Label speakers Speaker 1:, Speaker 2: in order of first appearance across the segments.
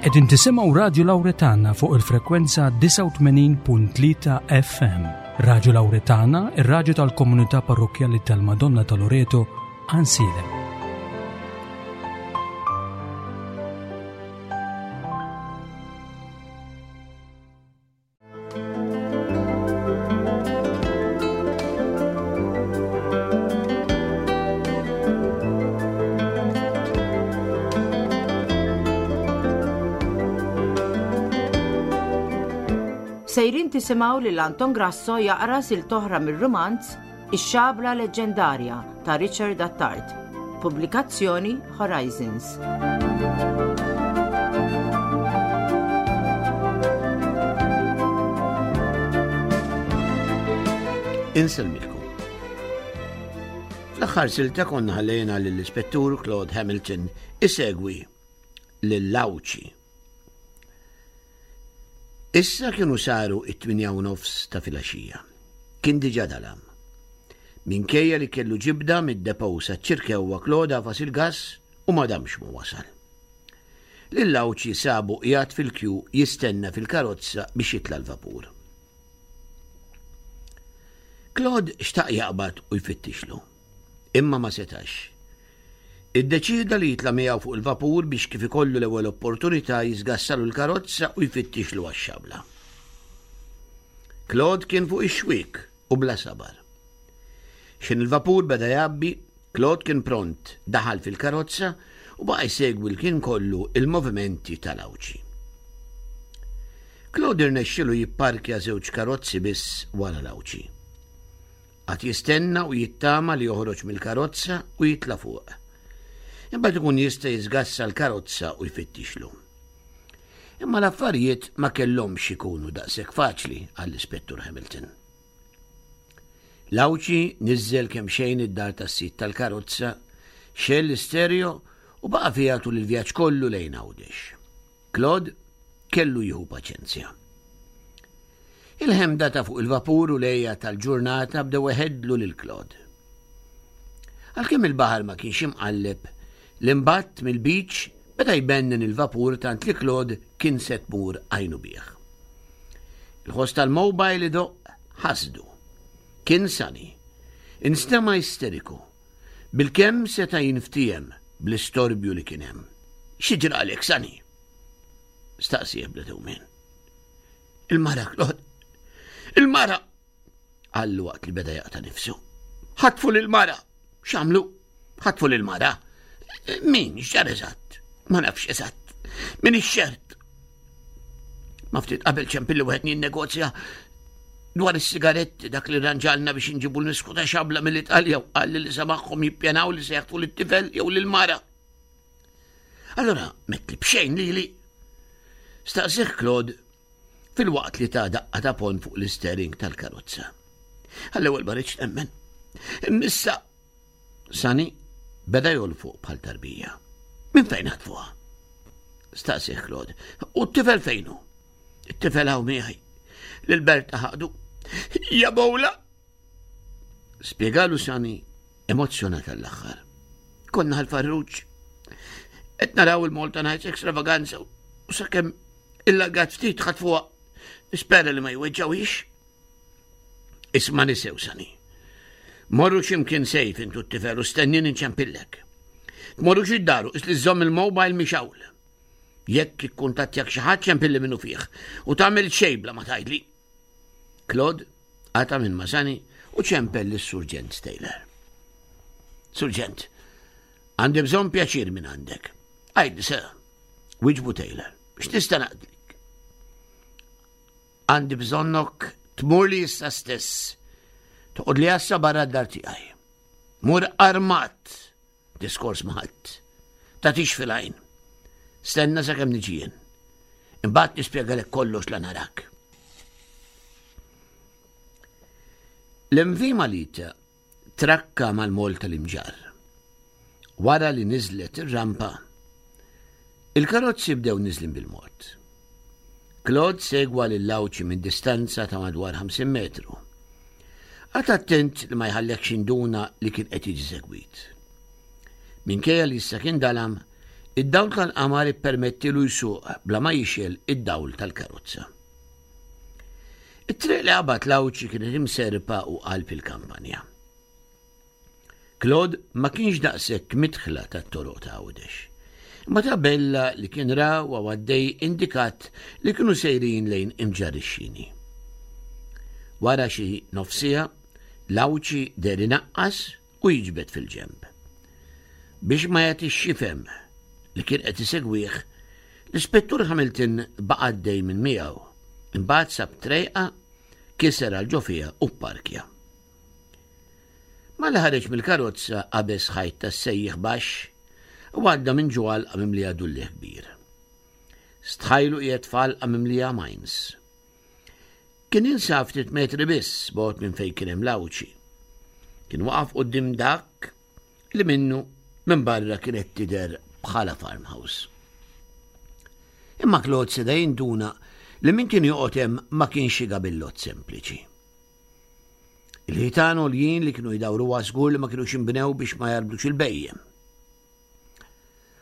Speaker 1: Qegħdin tisimgħu Radju Lawretana fuq il-frekwenza 89.3 FM. Radju Lawretana, ir-radju tal-komunità parrokkjali tal-Madonna ta' Loreto, Ansilem.
Speaker 2: Sejrin tisimgħu lil Anton Grasso jaqra silt oħra mir-rumanz Ix-Xabla Leġġendarja ta' Richard Attard. Pubblikazzjoni Horizons.
Speaker 3: Insellmilkom. Fl-aħħar silta konna ħallejna lill-Ispettur Claude Hamilton isegwi lil Lawċi. Issa kienu saru it-8 u nofs ta' filgħaxija. Kien diġà dalam. Minkejja li kellu ġibda mid-depot saċ-Ċirkewwa Claude għafas il-gass u ma damx ma wasal. Lil Għawdxi sabu qiegħed fil-kju jistenna fil-karozza biex jitla' l-vapur. Claude xtaq jaqbad u jfittixlu. Imma ma setax. Iddeċieda li jitla' miegħu fuq il-vapur biex kif ikollu l-ewwel opportunità jiżgassalu l-karozza u jfittixlu għax-xabla. Claude kien fuq ix-xwiek u bla sabar. X'ħin il-vapur beda jgħabbi, Claude kien pront, daħal fil-karozza u baqa' jsegwi l-kien kollu il-movimenti tal-Għawdxi. Claude irnexxielu jipparkja żewġ karozzi biss wara l-Għawdxi. Qagħad jistenna u jittama li joħroġ mill-karozza u jitla' fuq. Imbagħad ikun jista' jiżgassa l-karozza u jfittixlu. Imma l-affarijiet ma kellhomx ikunu daqshekk faċli għall-Ispettur Hamilton. L-Għawdxi niżżel kemxejn id-dar tas-sid tal-karozza, xegħel l-istereo u baqa' fiha tul il-vjaġġ kollu lejn Għawdex. Claude kellu jieħu paċenzja. Il-ħemda ta' fuq il-vapur u l-għeja tal-ġurnata bdew iħeddlu lil Claude. Għalkemm il-baħar ma kienx imqalleb, l-imbatt mill-beach beda jbennen il-vapur tant li Claude kien se tmur għajnu bih. Il-ħoss tal-mobile idoqq ħasdu. Kien Sunny. Instema' isteriku. Bilkemm seta' jinftiehem bl-istorbju li kien hemm. Xi ġralek, Sunny? Staqsieh bla dewmien. Il-mara, Claude. Il-mara! Qallu waqt li beda jaqta' nifsu. Ħatfu lil-mara! X'għamlu? Ħatfu lil-mara. Min? X'ġara eżatt? Ma nafx eżatt. Min ix-xert? Ma ftit qabel ċempilli wieħed jinnegozja dwar is-sigaretti dak li ranġalna biex inġibu l-misku ta' xabla mill-Italja u qal li samaħħom jippjanaw li se jaħtfu lit-tifel jew lill-mara. Allora, metli b'xejn lili. Staqsih Claude filwaqt li ta' daqqa ta' pon fuq l-istering tal-karozza. Għall-ewwel ma rridx nemmen. Immissa Sani beda jolfoq bħal tarbija. Minn fejn ħatfuha? Staqsih Claude. U t-tifel fejnu? It-tifel hawn miegħi. Lil Berta ħadu. Ja bowla! Spjegalu Sani emozzjonat għall-aħħar. Konna ħal-farruġ. Qed naraw il-Malta Nights Extravaganza u sakemm il-lagat ftit ħatfuha. Nispera li ma jweġġawix. Isma' nisew Sani. Morru x'imkien sejf intu t-tifel u stennini nċempillek. Tmorrux id-daru is li żżomm il-mobile mixawl. Jekk ikkuntattjak xi ħadd ċempilli minnu fih u tagħmel xejn bla ma tgħidli. Claude qata' minn ma' Sani u ċempel lis-Surġent Taylor. Surġent, għandi bżonn pjaċir minn għandek. Għidli sir, wiġbu Taylor, x'nista' naqdlik? Għandi bżonnok tmurli issa stess. Toqgħodli għassa barra d-dar tiegħi. Mur armat. Diskors ma' ħadd. Tagħtix fil-għajn. Stenna sakemm niġi jien. Imbagħad nispjegalek kollox la narak. L-MV Malita trakka mal-mol tal-Imġarr. Wara li niżlet ir-rampa, il-karozzi bdew niżlin bil-mod. Claude segwa lil Għawdxi minn distanza ta' madwar 50 metru. Qagħad attent li ma jħallekx induna li kien qed jiġi segwit. Minkejja li issa kien dalam, Id-dawl tal-qamar ippermettilu jsuq bla ma jixgħel id-dawl tal-karozza. It-triq li qabad l-Għawdxi kienet imserrpa u qalb il-kampanja. Claude ma kienx daqshekk midħla tat-toroq ta' Għawdex. Imma tabella li kien ra u għaddej indikat li kienu sejrin lejn Imġarr ix-Xini. Wara xi nofs siegħa, l-Għawdxi deher inaqqas u jiġbed fil-ġenb. Biex ma jagħtix x'jifhem li kien qed isegwih, l-Ispettur Hamilton baqa' għaddej minn miegħu. Imbagħad sab trejqa, kiser għal ġo fiha u pparkja. Malli ħareġ mill-karozza qabeż ħajt tas-sejjieħ baxx u għadda minn ġo għalqa mimlija dulliegħ kbir. Stħajlu qiegħed f'għalqa mimlija mines. Kien jinsab ftit metri biss bogħod minn fejn kien hemm l-Għawdxi. Kien waqaf quddiem dak li minnu minn barra kienet tidher bħala farmhouse. Imma Claude seda jinduna li min kien joqgħod hemm ma kienx xi gabillott sempliċi. Il-ħitan għoljin li kienu jdawruha żgur li ma kinux inbnew biex ma jarbdux il-bhejjem.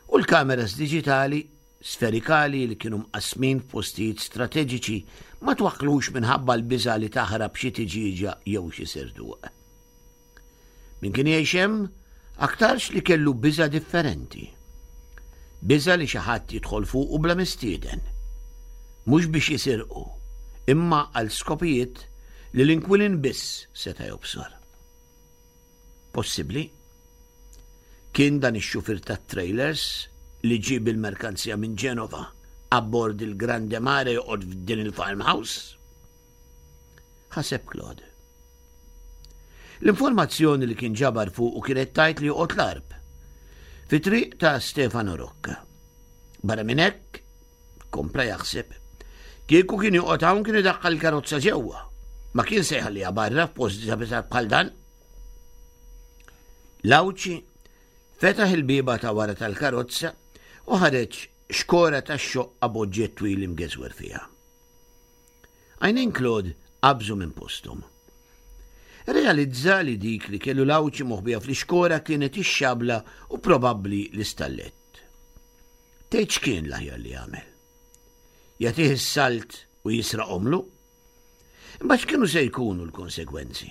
Speaker 3: U l-kameras diġitali sferikali li kienu mqassmin f'postijiet strateġiċi ma twaħħlux minħabba l-biża' li taħrab xi tiġieġa jew xi serduq. Min kien jgħix hemm aktarx li kellu biża' differenti. Biża' li xi ħadd jidħol fuqu bla mistieden. Mhux biex jisirqu, imma għal skopijiet li l-inkwilin biss seta' jobsor. Possibbli? Kien dan ix-xufier tat-trailers li ġie bil-merkanzija minn Ġenova abbord il-Grande Mare joqgħod f'din il-farmhouse? Ħaseb Claude. L-informazzjoni li kien ġabar fuqu kienet tgħid li joqgħod l-Għarb, fi triq ta' Stefano Rocca. Barra minn hekk, kompla jaħseb, kieku kien joqgħod hawn kien idaħħal il-karozza ġewwa. Ma kien se jħalliha barra f'post diżabitat bħal dan. L-Għawdxi fetaħ il-bieba ta' wara tal-karozza u ħareġ xkora tax-xoqqa b'oġġett twil imgeżwer fiha. Għajnejn Claude qabżu minn posthom. Irrealizza li dik li kellu l-Għawdxi moħbija fl-ixkora kienet ix-xabla u probabbli l-istallett. Tgħid x'kien l-aħjar li jagħmel? Jagħtih is-salt u jisraqhomlu? Imbagħad x'kienu se jkunu l-konsegwenzi?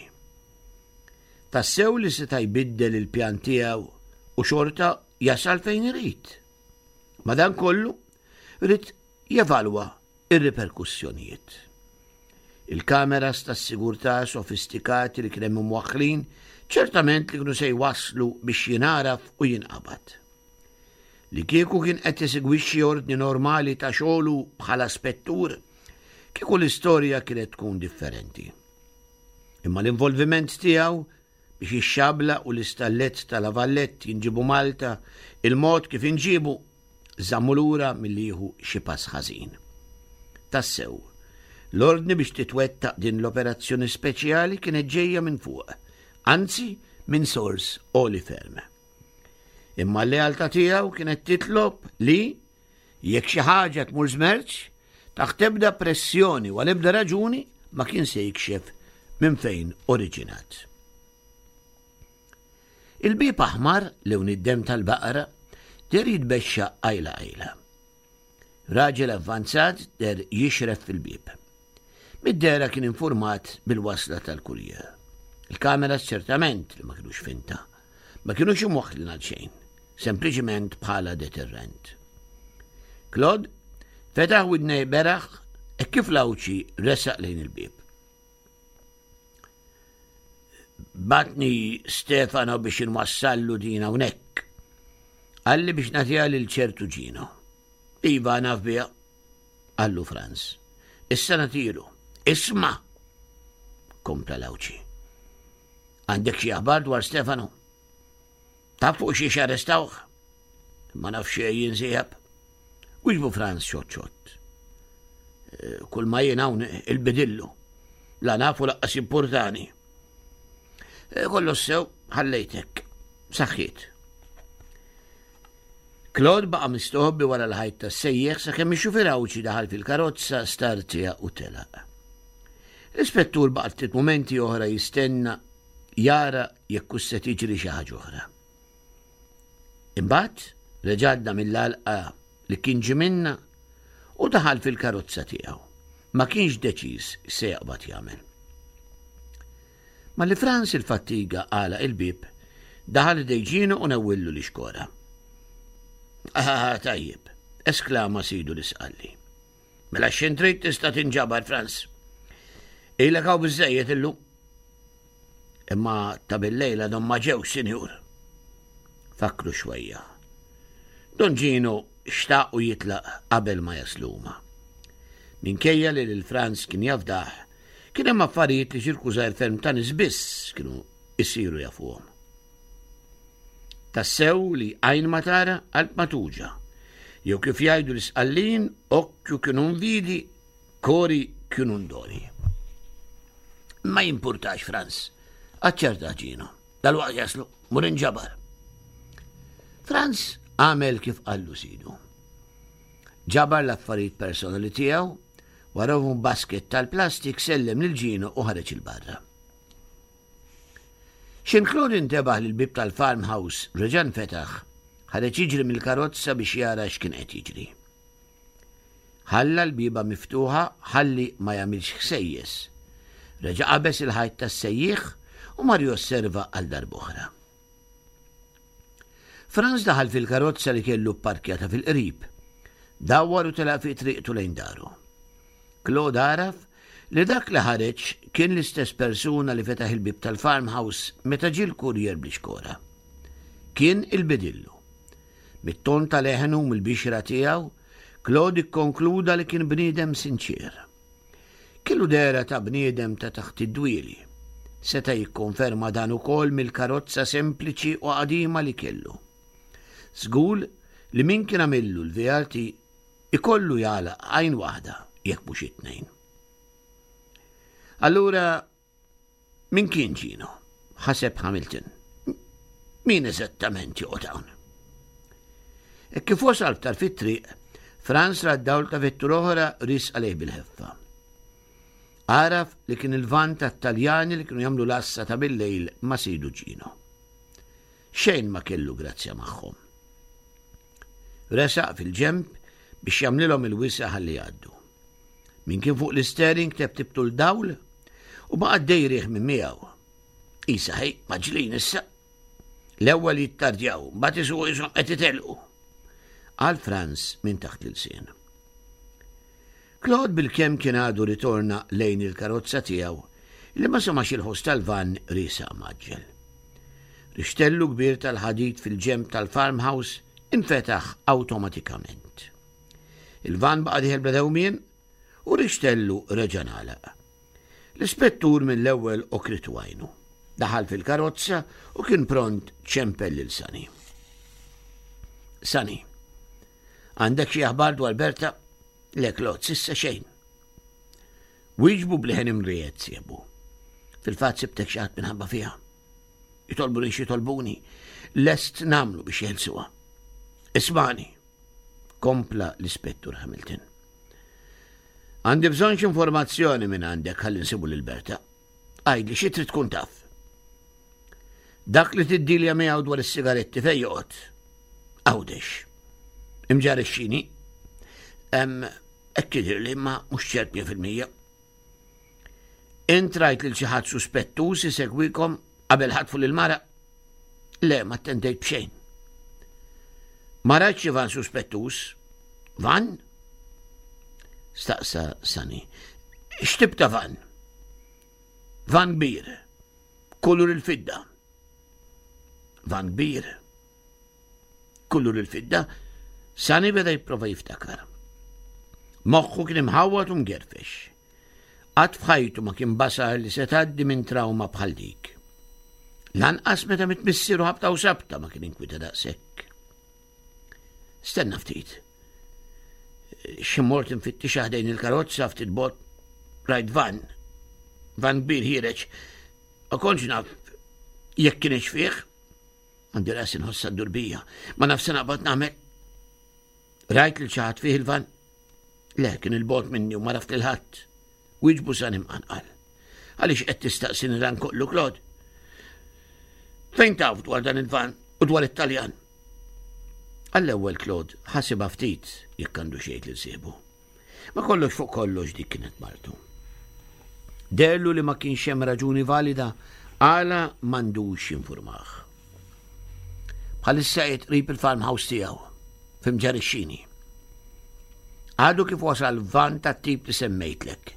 Speaker 3: Tassew li seta' jbiddel il-pjan tiegħu u xorta jasal fejn irid. Madankollu, ried jevalwa r-riperkussjonijiet. Il-kameras tas-sigurtà sofistikati li kien hemm imwaħħlin ċertament li kienu se jwasslu biex jingħaraf u jinqabad. Li kieku kien qed jesegwixxi ordni normali ta' xogħlu bħala spettur, kieku l-istorja kienet tkun differenti. Imma l-involviment tiegħu biex ix-xabla u l-istallett ta' La Vallette jinġiebu Malta, il-mod kif inġiebu, żammu lura milli jieħu xi pass ħażin. Tassew, l-ordni biex titwettaq din l-operazzjoni speċjali kienet ġejja minn fuq, anzi minn sors għoli ferm. Imma l-lealtà tiegħu kienet titlob li, jekk xi ħaġa tmur żmerċ, taħt ebda pressjoni u għal ebda raġuni ma kien se jikxef minn fejn oriġinat. Il-bieb aħmar, lewn id-demm tal-baqra, deher jitbexxaq qajla qajla. Raġel avvanzat deher jixref fil-bieb. Mid-dehra kien infurmat bil-wasla tal-kurjer. Il-kameras ċertament li ma kinux finta. Ma kinux imwaħħlin għal xejn, sempliċiment bħala deterrent. Claude fetaħ widnej beraħ hekk kif l-Għawdxi resaq lejn il-bieb. Batni Stefano biex inwassallu din hawnhekk. Qalli biex nagħtiha lil ċertu Ġino. Iva naf biha, qallu Franz. Issa nagħtilu. Isma'! Kompla l-Għawdxi. Għandek xi aħbar dwar Stefano? Taf fuq xiex arrestawh? Ma naf xejn jien sieħeb. Wieġbu Franz xott xott. Eh, kull ma jien hawn il-bidillu. La nafu laqqas importani. Eh, kollox sew ħallejtek. Saħħiet. Claude baqa' mistoħbi wara l-ħajt tas-sejjeħ sakemm ix-xufier Għawdxi daħal fil-karozza, startja u telaq. L-ispettur baqa' ftit mumenti oħra jistenna jara jekk hux se tiġri xi ħaġa oħra. Imbagħad. Reġa' għadda mill-għalqa li kien ġie minnha u daħal fil-karozza tiegħu. Ma kienx deċiż x'se jaqbad jagħmel. Malli Franz il-fattiga għalaq il-bieb, daħal ħdej Ġino u newwillu l-ixkora. Ah, tajjeb, esklama sidu l-isqalli. Mela x'in trid tista' tinġabar, Franz. Ilek hawn biżejjed illum. Imma ta' billejl għadhom ma ġewx, sinjur. Fakru xwejja. Don Ġino xtaq u jitlaq qabel ma jaslu huma. Minkejja li lil Franz kien jafdah, kien hemm affarijiet li ċirku żgħir ferm ta' nies biss kienu jsiru jafuhom. Tassew li għajn ma tara, qalb ma tuġa. Jew kif jgħidu l-Isqallin, occhio che non vidi, cori che non doli. Ma jimpurtax, Franz, aċċerta Ġino. Dal-waqt jaslu, mur inġabar. Franz għamel kif qallu sidu. Ġabar l-affarijiet personali tiegħu, warahom basket tal-plastik sellem lil Ġino u ħareġ il-barra. X'Inklud intebaħ li l-bieb tal-farmhouse reġa' nfetaħ, ħareġ jiġri mill-karozza biex jara x'kien qed jiġri. Ħalla l-bieba miftuħa ħalli ma jagħmilx ħsejjes. Reġa' qabeż il-ħajt tas-sejjieħ u mar josserva għal darb'oħra. Franz daħal fil-karozza li kellu pparkjata fil-qrib. Dawwar u telaq fi triqtu lejn daru. Claude għaraf li dak li ħareġ kien l-istess persuna li fetaħ il-bieb tal-farmhouse meta ġie l-kurjer bl-ixkora. Kien il-bidillu. Mit-ton ta' leħnu u mill-bixra tiegħu, Claude ikkonkluda li kien bniedem sinċier. Kellu dehra ta' bniedem ta' taħt id-dwieli. Seta' jikkonferma dan ukoll mill-karozza sempliċi u qadima li kellu. Żgur li min kien għamillu l-VRT ikollu jagħlaq għajn waħda jekk mhux it-tnejn. Allura min kien Ġino? Ħaseb Hamilton. Min eżattament joqgħod hawn? E kif wasal ftar fit-triq, Franz ra d-dawl ta' vettura oħra ris għalih bil-ħeffa. Għaraf li kien il-van tat-Taljani li kienu jagħmlu l-għassa ta' bil-lejl ma' sidu Ġino. Xejn ma kellu grazzja magħhom. Resaq fil-ġenb biex jagħmlilhom il-wisa' ħalli jgħaddu. Min kien fuq l-istering tebtibtu l-dawl u baqa' għaddej riħ minn miegħu. Isa ħej, maġlin issa. L-ewwel jittardjaw, mbagħad isuqu ishom qed itelqu. Qal Franz minn taħt l-ilsien. Claude bilkemm kien għadu ritorna lejn il-karozza tiegħu li ma semax il-ħoss tal-vann riesaq mgħaġġel. Rixtellu kbir tal-ħadid fil-ġenb tal-farmhouse infetaħ awtomatikament. Il-vann baqa' dieħel bla dewmien u rixtellu reġa' ngħalaq. L-ispettur mill-ewwel okritu għajnu. Daħal fil-karozza u kien pront ċempel lil Sani. Sani, għandek xi aħbar dwar Berta? Le Claude, sissa xejn. Wieġbu b'leħen imriegħed sieħbu. Fil-fatt sibtek xi ħadd minħabba fiha. Jitolbuni xi jitolbuni, lest nagħmlu biex jeħilsuha. Ismani, kompla l-Ispettur Hamilton. Għandi bżonn xi informazzjoni minn għandek ħalli nsibu lil Berta. Għidli xi trid tkun taf. Dak li tiddilja miegħu dwar is-sigaretti fejn joqgħod? Għawdex. Imġar ix-xini. Hekk jidhirli imma mhux ċert 100%. Int rajt lil xi ħadd suspettuż isegwikom qabel ħatfu lil mara? Le, ma attendejt b'xejn. Ma rajtx xi van suspettuż. Van? Staqsa Sani. X'tip ta' van? Van kbir. Kulur il-fidda. Van kbir. Kulur il-fidda. Sani beda jipprova jiftakar. Moħħu kien imħawwad u mgerfex. Qatt f'ħajtu ma kien basar li se tgħaddi minn trawma bħal dik. Lanqas meta miet missieru ħabta u sabta ma kien inkwieta daqshekk. Stenna ftit. Xi mort infittixha ħdejn il-karozza ftit bot rajt van. Van kbir ħiereġ. Ma kontx naf jekk kienx fih. Għandi rasi nħossha ddur bija. Ma naf se naqbad nagħmel. Rajt lil xi ħadd fih il-van? Le, kien il-bogħod minni u ma raft lil ħadd. Wieġbu Sani mqanqal. Għaliex qed tistaqsini dan kollu, Claude? Fejn taf dwar dan il-van u dwar it-Taljan? Għall-ewwel Claude ħasibha ftit jekk għandu xejn lil sieħbu. Ma kollox fuq kollox dik kienet martu. Derlu li ma kienx hemm raġuni valida għala m'għandux jinfurmah. Bħalissa qiegħed qrib il-farmhouse tiegħu f'Imġarr ix-Xini. Għadu kif wasal van tat-tip li semmejtlek.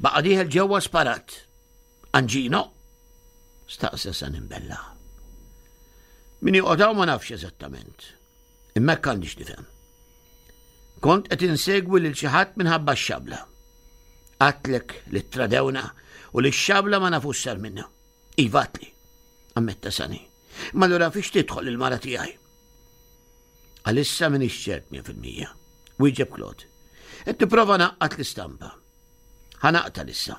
Speaker 3: Baqa' dieħel ġewwa sparat. Anġino? Staqsa San Imbella. Min joqgħod hawn ma nafx eżattament. Imma hekk għandix nifhem. Kont qed insegwi lil xi ħadd minħabba x-xabla. Għatlek li tradewna u li x-xabla ma nafux sar minna. Iva għatli, ammetta Sani. Ma allura fiex tidħol il-mara tiegħi? Għalissa m'iniex ċert 100%. Wieġeb Claude. Qed nipprova naqqat l-istampa. Ħa naqta' issa.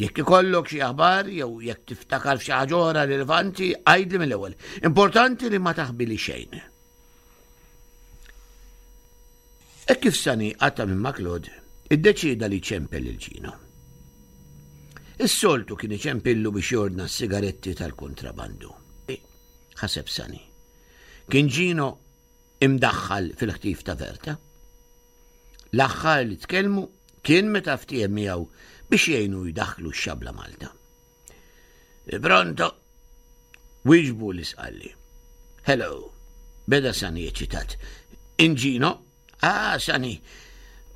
Speaker 3: Jekk ikollok xi aħbar jew jekk tiftakar f'xi ħaġa oħra rilevanti, għidli mill-ewwel. Importanti li ma taħbili xejn. Hekk kif Sani qata' minn ma' Claude, iddeċieda li jċempel lil Gino. Is-soltu kien iċempillu biex jordna s-sigaretti tal-kontrabandu. Ħaseb Sani. Kien Gino imdaħħal fil-ħtif ta' Verta? L-aħħar li tkellmu kien meta ftiehem miegħu biex jgħinu jdaħħlu x-xabla Malta. Pronto? Wieġbu l-isqalli. Hello, beda Sani eċitat. Inġino? Ah, Sani,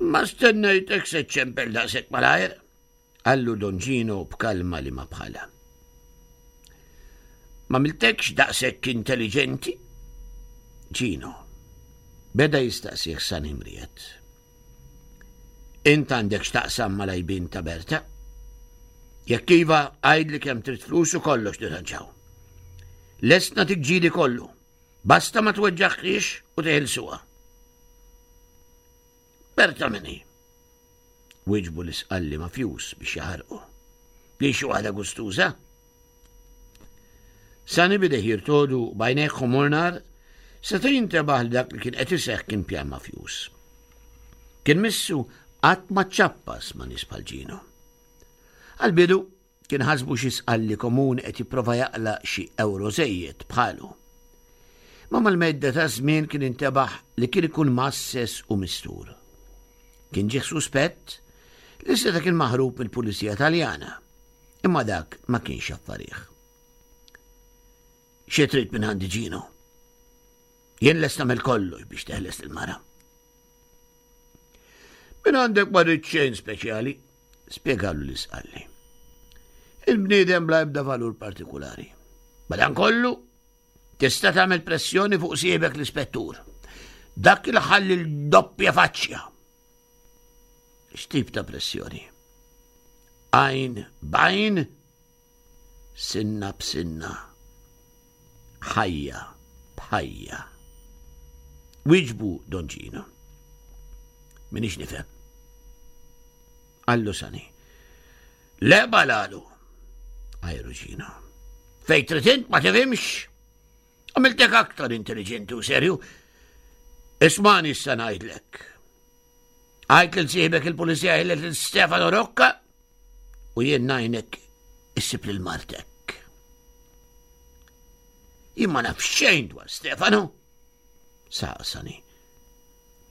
Speaker 3: ma stennejtek se ċempel daqshekk malajr. Qallu Don Gino b'kalma li ma bħalha. M'għamiltekx daqshekk intelliġenti? Gino, beda jistaqsih San Imriet. Int għandek x'taqsam mal-għajbien ta' Berta? Jekk iva, għidli kemm trid flus u kollox nirranġaw. Lest nagħtik ġidi kollu. Basta ma tweġġaħħiex u teħilsuha. Berta min hi? Wieġbu l-isqalli mafjuż biex jaħarqu. Li xi waħda gustuża? Sani bideh jirtodu b'għajnejh ħomor nar, seta' jintebaħ li dak li kien qed iseħħ kien pjan mafjuż. Kien missu qatt ma ċappas ma' nies bħal Ġino. Għal-bidu Kien ħasbu xi sqalli komuni qed jipprova jaqla' xi ewro żejjed bħalu. Ma mal-medda ta' żmien kien intebaħ li kien ikun mgħasses u mistur. Kien ġieħ suspett li seta' kien maħrub mill-Pulizija Taljana, imma dak ma kienx affarih. Xi trid minn għandi Ġino? Jien lest nagħmel kollox biex teħles il-mara. Minn għandek ma rrid xejn speċjali, spjegalu l-isqalli. Il-bniedem bla ebda valur partikulari. Madankollu, tista' tagħmel pressjoni fuq siebek l-ispettur. Dak il ħalli l-doppja faċċja. X'tip ta' pressjoni? Għajn b'għajn Sinna b'sinna. Ħajja b'ħajja. Wieġbu Don Gino. Minix nifhem. Qallu Sani. Le balalu. Għajru Gino. Fej trid int ma tifhimx. Għamiltek aktar intelligenti u serju. Ismani issa ngħidlek. Għajt lil sieħbek il-pulizija ħillet lil Stefano Rocca u jien ngħinek issib lil martek. Jien ma naf xejn dwar Stefano. Saqsani.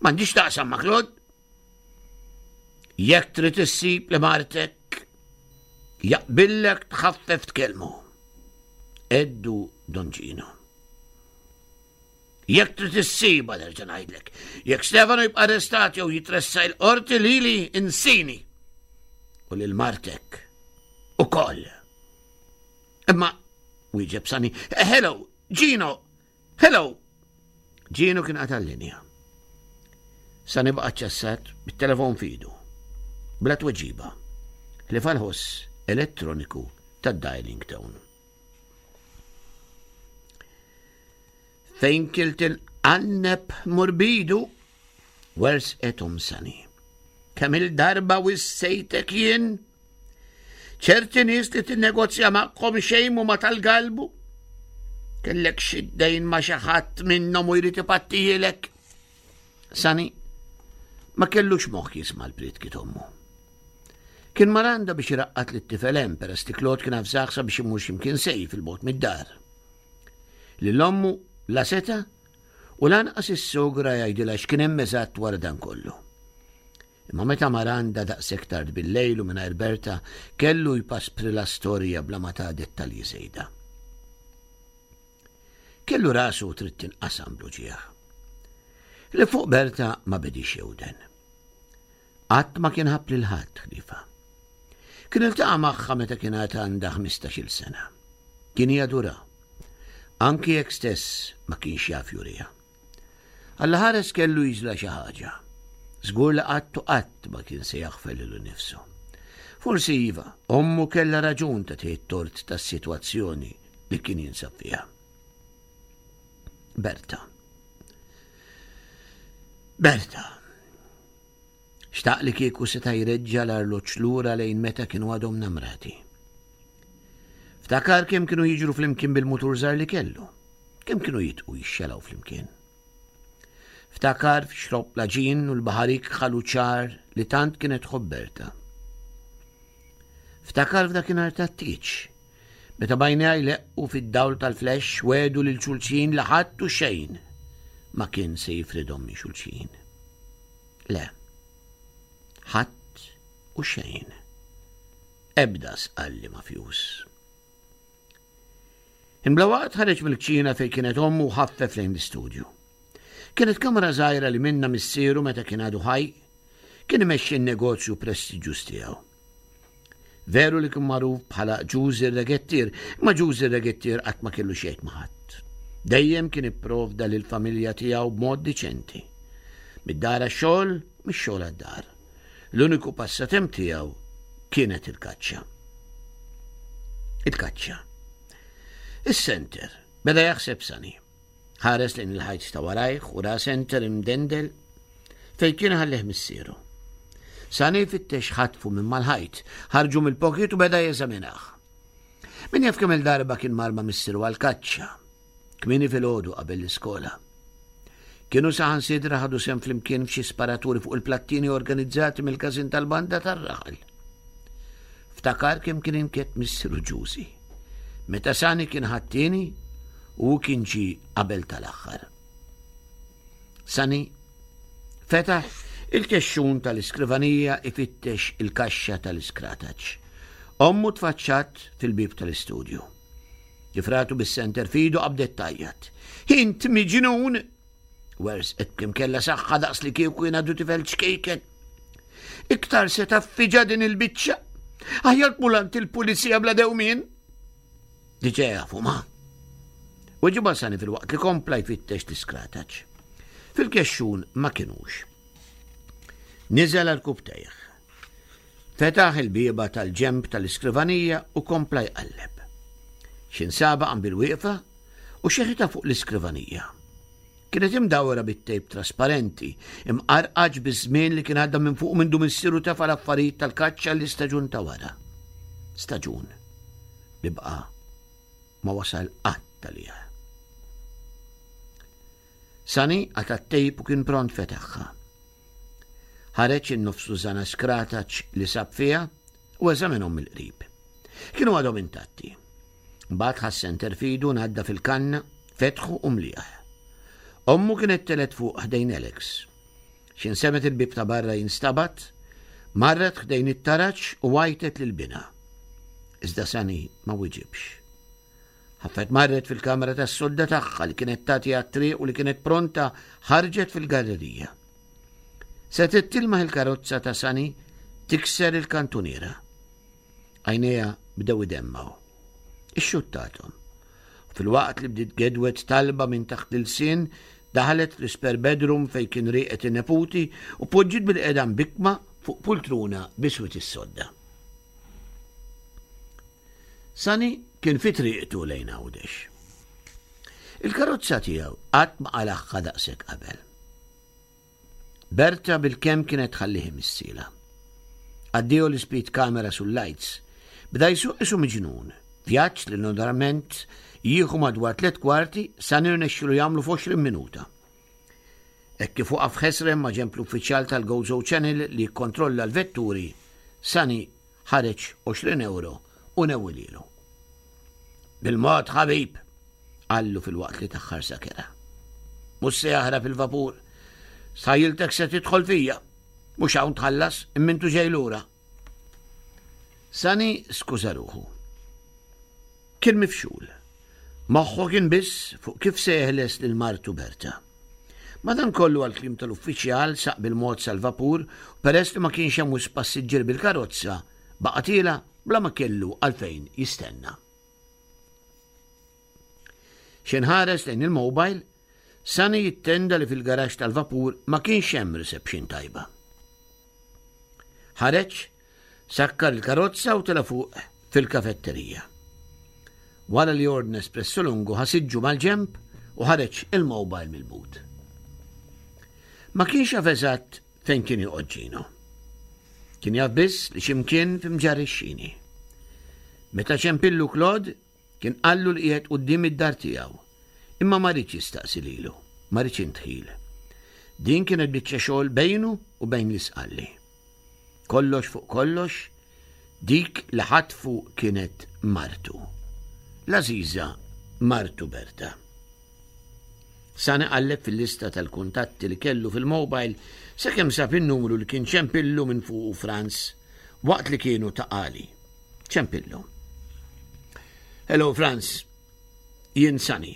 Speaker 3: M'għandix taqsam ma' Claude. Jekk trid issib li martek, jaqbillek tħaffef tkellmu. Eddu Don Gino. Jekk trid issibha nerġa' ngħidlek. Jekk Stefano jibqa' arrestat jew jitressa il-qorti lili insini. U lil martek ukoll. Imma wieġeb Sani, eh, hello, Gino, hello. Gino kien qata' l-linja. Sani baqa' ċassat bit-telefon fidu. Bla tweġiba. Li fal-ħoss elettroniku tad-dialing tone. Fejn kilt il-qanneb murbidu, wersqet Omm Sani. Kemm il-darba wissejtek jien? ċerti nies li tinnegozja magħhom xejn mhuma tal-galbu. Kellek xi dejn ma' xi ħadd minnhom u jrid ipattijilek. Sani ma kellux moħħ jisma' l-prietki t'ommu. Kien mar għandha biex iraqqad lit-tifel hemm peress li Claude kien avżah sabiex imur x'imkien sejf 'il bogħod mid-dar. Lil ommu la seta' U lanqas is-sogra jgħidilha x'kien hemm eżatt wara dan kollu. Imma meta mar għandha daqshekk tard bil-lejl u mingħajr Berta kellu jpasprilha storja bla ma ta dettalji żejda. Kellu rasu trid tinqasam bl-uġigħ. Li fuq Berta ma bedix jewden. Qatt ma kien ħabb lil ħadd ħliefha. Kien iltaqa' magħha meta kien għad għandha 15-il sena. Kien jadura. Anki jekk stess ma kienx jaf juriha. Alla ħares kellu jiġla xi ħaġa. Żgur li qatt u qatt ma kien se jaħfer lilu nnifsu. Forsi iva, ommu kellha raġun ta' tort tas-sitwazzjoni li kien jinsab fiha. Berta. Berta. Xtaq li kieku seta' jreġġa' l-arloġġ lura lejn meta kienu għadhom namrati. Ftakar kemm kienu jiġru flimkien bil-mutur żgħar li kellu, kemm kienu jitqu jixxelaw flimkien. Ftakar f'xrob laġin u l-baħar ikħal u ċar li tant kienet tħobb Berta. Ftakar f'dakinhar tat-tieġ, meta b'għajnejha jleqqu fid-dawl tal-flash wegħdu lil xulxin li ħadd u xejn ma kien se jifridhom minn xulxin. Le. Ħadd u xejn. Ebda sqalli mafjuż. Imbla waqt ħareġ mill-kċina fejn kienet ommu u ħaffef lejn l-istudju. Kienet kamra żgħira li minna missieru meta kien għadu ħaj, kien imexxi n-negozju prestiġjuż tiegħu. Veru li kien magħruf bħala Ġużi r-Regettier, imma Ġużi r-Regettier qatt ma kellu xejn ma' ħadd. Dejjem kien ipprovda lill-familja tiegħu b'mod diċenti. Mid-dar għax-xogħol, mix-xogħol għad-dar. L-uniku passatemp tiegħu kienet il-kaċċa. Il-kaċċa. Is-senter beda jaħseb sani. Ħares lejn il-ħajt ta' warajh u ra senter imdendel fejn kien ħallih missieru. Sani fittex ħatfu minn mal-ħajt, ħarġu mill-pocket u beda jeżaminah. Min jaf kemm il-darba kien mar ma' missieru għall-kaċċa, kmieni filgħodu qabel l-iskola. Kienu saħansitra ħadu sehem flimkien f'xi sparaturi fuq il-plattini organizzati mill-każin tal-banda tar-raħal. Ftakar kemm kien inkett missieru Ġużi. Meta Sani kien ħadd-tieni u hu kien ġie qabel tal-aħħar. Sani fetaħ il-kexxun tal-iskrivanija ifittex il-kaxxa tal-iskrataċ. Ommu tfaċċat fil-bieb tal-istudju. Kif ratu bis-senter fidu qabdet tgħajjat. Int miġnun! Wersqet b'kemm kellha saħħa daqs li kieku jien għadu tifel ċkejken. Iktar se taffiġa din il-biċċa. Aħjar tmur għand il-pulizija bla dewmien. Diġà jafu ma. Weġiba sani fil-waqt li kompla jfittex l-iskrataċ. Fil-kexxun ma kinux. Niżel għal kubtejh. Fetaħ il-bieba tal-ġemb tal-iskrivanija u kompla jqalleb. Xinsaba qam bil-wieqfa u xeħitha fuq l-iskrivanija. Kienet imdawra bit-tejp trasparenti, imqarqaġ biż-żmien li kien għadda minn fuq mindu missieru tefa' l-affarijiet tal-kaċċa l-istaġun ta' wara. Staġun li baqa' ma wasal qatt għalih. Sani qata' t-tejp u kien pront fetaħha. Ħareġ in-nofs tużana skrataċ li sab fiha u eżaminhom mill-qrib. Kienu għadhom intatti. Mbagħad ħa s-senter f'idu ngħadda fil-kanna, fetħu u mlieh. Ommu kienet telgħet fuq ħdejn Alex. X'in semgħet il-bieb ta' barra jinstabat, marret ħdejn it-taraġ u għajtet lil binha. Iżda Sunny ma wiġibx. Ħaffet marret fil-kamra tas-sodda tagħha li kienet tagħti għat-triq u li kienet pronta ħarġet fil-gallerija. Setgħet tilmaħ il-karozza ta' Sunny tikser il-kantuniera. Għajnejha bdew idemmgħu. Ixxuttathom. U filwaqt li bdiet gedwet talba minn taħt l-ilsien, daħlet fl-isper bedroom fejn kien rieqed in-neputi u poġġiet bilqiegħda mbikkma fuq pultruna biswit is-sodda. Sunny kien fi triqtu lejn Għawdex. Il-karozza tiegħu qatt ma qalagħha daqshekk qabel. Berta bilkemm kienet tħallih imissila. Addio l-ispeed camera sul-lights. Bda jsuq isu miġnun. Vjaġġ li normalment jieħu madwar tlet kwarti sa nirnexxilu jagħmlu f'20 minuta. Hekk kif waqaf ħesrem ma' ġenb l-uffiċjal tal-Gozo Channel li jikkontrolla l-vetturi, Sunny ħareġ 20 ewro u newwilielu. Bil-mod ħabib, qallu filwaqt li taħħar sakera. Mhux se jaħrab il-vapur. Stħajjiltek se tidħol fija. Mhux hawn tħallas, imma intu ġej lura. Sani skuża ruħu. Kien mifxul. Moħħu kien biss fuq kif se jeħles lil martu Berta. Madankollu għall-kliem tal-uffiċjal saq bil-mod sal-vapur u peress li ma kienx hemm wisq passiġġier bil-karozza, baqa' tiela' bla ma kellu għalfejn jistenna. Xejn ħares lejn il-mobile, Sunny jittenda li fil-garaxx tal-vapur ma kienx hemm reception tajba. Ħareġ, sakkar il-karozza u tela' fuq fil-kafetterija. Wara li ordna espresso lungu ħa siġġu mal-ġenb u ħareġ il-mobile mill-but. Ma kienx jaf eżatt fejn kien joqgħod Gino. Kien jaf biss li x'imkien f'Mġarr ix-Xini. Meta ċempillu Claude, kien qallu li qiegħed quddiem id-dar tiegħu. Imma ma riedx jistaqsi lilu, ma riedx indħil. Din kienet biċċa xogħol bejnu u bejn l-Isqalli. Kollox fuq kollox, dik li ħatfu kienet martu. L-għażiża martu Berta. Sani qalleb fil-lista tal-kuntatti li kellu fil-mobile sakemm sab in-numru li kien ċempillu minn fuqu Franz waqt li kienu Ta' Qali. Ċempillu. Hello Franz, jien Sani.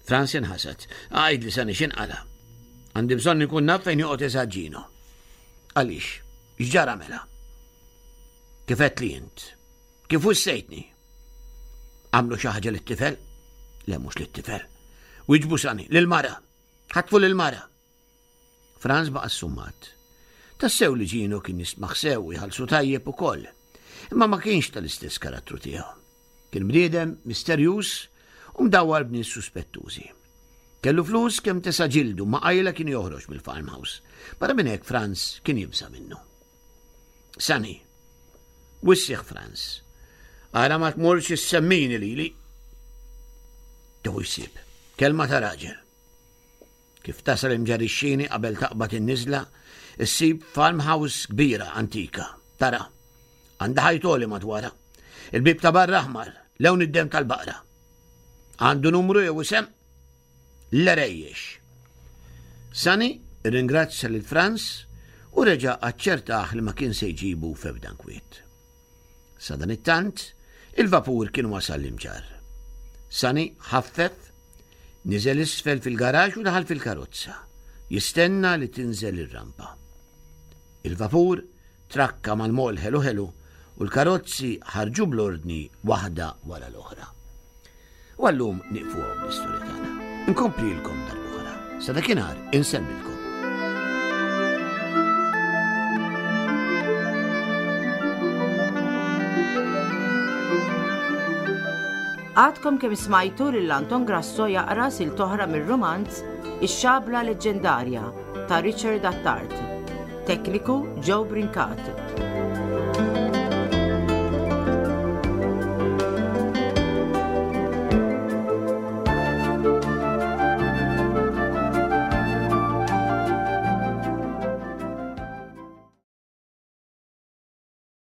Speaker 3: Franz inħasad. Għidli Sani x'inqala'. Għandi bżonn inkun naf fejn joqgħod eżatt Gino. Għaliex? X'ġara mela? Kif għedt li int? Kif wissejtni? Għamlu xi ħaġa lit-tifel? Le mhux lit-tifel. Wiġbu Sani, lil-mara. Ħatfu lil-mara. Franz baqa' ssummat. Tassew li Gino kien jistmaħ sew u jħallsu tajjeb ukoll. Imma ma kienx tal-istess karattru tiegħu. Kien bniedem misterjuż u mdawwar b'nies suspettużi. Kellu flus kemm tesa' ġildu ma qajla kien joħroġ mill-farmhouse. Barra minn hekk Franz kien jibża' minnu. Sani. Wissih Franz. Ara ma tmurx issemmini lili. Tieħu jsib. Kelma ta' raġel. Kif tasal imġarixxini qabel taqbad in-niżla, issib farmhouse kbira antika. Tara, għandha ħajtoli madwarha. Il-bib ta' barra aħmar, lewn id-dem tal-baqra. Għandu numru jew isem? L-għerejjex. Sunny rringrazzja lil Franz u reġa' aċċertah li ma kien se jġibu f'ebda nkwiet. Sadanittant, il-vapur kien wasal l-Imġarr. Sunny ħaffef, niżel isfel fil-garaxx u daħal fil-karozza, jistenna li tinżel ir-rampa. Il-vapur trakka mal-moll ħelu ħelu u l-karozzi ħarġu bl-ordni waħda wara l-oħra. U għallum nieqfu hawn l-istorja tagħna. Inkomplilkom darb'oħra. Sa dakinhar insellmilkom.
Speaker 2: Għadkom kemm smajtu lil Anton Grasso jaqra silta oħra mir-rumanz Ix-Xabla Leġġendarja ta' Richard Attard. Tekniku Joe Brincat.